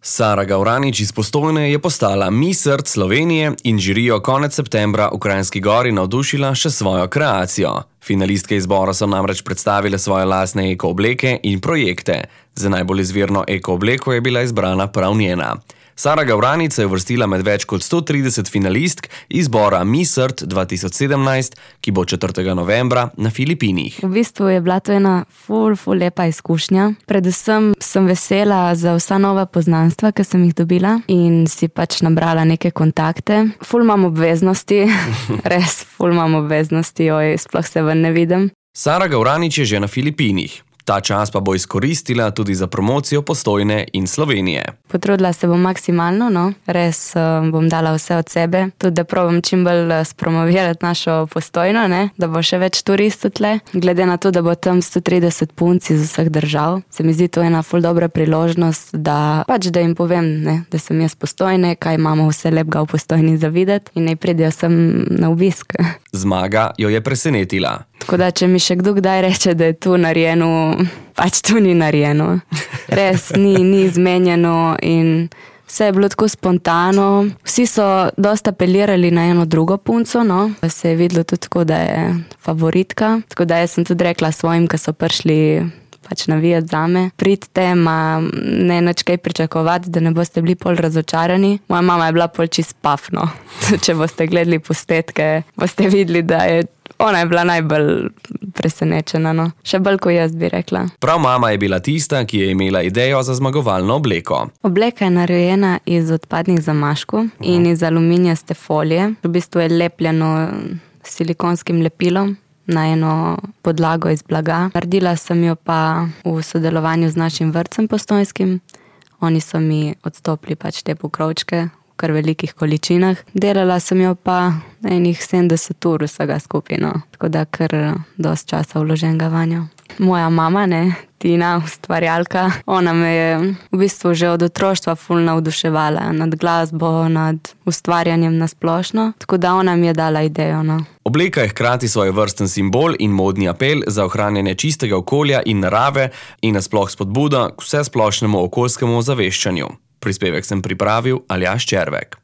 Sara Gavranič iz Postojne je postala Miss Earth Slovenije in žirijo konec septembra v Kranjski Gori navdušila še svojo kreacijo. Finalistke izbora so namreč predstavile svoje lastne eko obleke in projekte. Za najbolj izvirno eko obleko je bila izbrana prav njena. Sara Gavranič se je uvrstila med več kot 130 finalistk izbora Miss Earth 2017, ki bo 4. novembra na Filipinih. V bistvu je bila to ena ful lepa izkušnja. Predvsem sem vesela za vsa nova poznanstva, ki sem jih dobila in si pač nabrala neke kontakte. Ful imam obveznosti, res ful imam obveznosti, sploh se ven ne vidim. Sara Gavranič je že na Filipinih. Ta čas pa bo izkoristila tudi za promocijo Postojne in Slovenije. Potrudila se bom maksimalno, no. Res bom dala vse od sebe, tudi da probam čim bolj spromovirati našo Postojno, ne, da bo še več turistov tle. Glede na to, da bo tam 130 punc iz vseh držav, se mi zdi to ena ful dobra priložnost, da jim povem, ne, da sem jaz Postojne, kaj imamo vse lepega v Postojni za videti in naj pridejo sem na obisk. Zmaga jo je presenetila. Tako da, če mi še kdo kdaj reče, da je tu narejeno, pač tu ni narejeno. Res, ni izmenjeno in vse je bilo tako spontano. Vsi so dosta apelirali na eno drugo punco, no. Se je videlo tudi tako, da je favoritka. Tako da jaz sem tudi rekla svojim, ki so prišli pač navijati zame. Pridite, ne nič kaj pričakovati, da ne boste bili pol razočarani. Moja mama je bila pol čist paf, no. Če boste gledali posnetke, boste videli, da je ona je bila najbolj presenečena, no. Še bolj, ko jaz bi rekla. Prav mama je bila tista, ki je imela idejo za zmagovalno obleko. Obleka je narejena iz odpadnih zamaškov in iz aluminijaste folije. V bistvu je lepljeno s silikonskim lepilom na eno podlago iz blaga. Naredila sem jo pa v sodelovanju z našim vrtcem postojnskim. Oni so mi odstopili pač te pokrovčke v kar velikih količinah. Delala sem jo pa enih 70 ur vsega skupaj, no. Tako da kar dosti časa vloženega vanjo. Moja mama, ne, Tina, ustvarjalka, ona me je v bistvu že od otroštva ful navduševala nad glasbo, nad ustvarjanjem na splošno, tako da ona mi je dala idejo, no. Obleka je hkrati svojevrsten simbol in modni apel za ohranjanje čistega okolja in narave in nasploh spodbuda k vsesplošnemu okoljskemu ozaveščanju. Prispevek sem pripravil Aljaž Červek.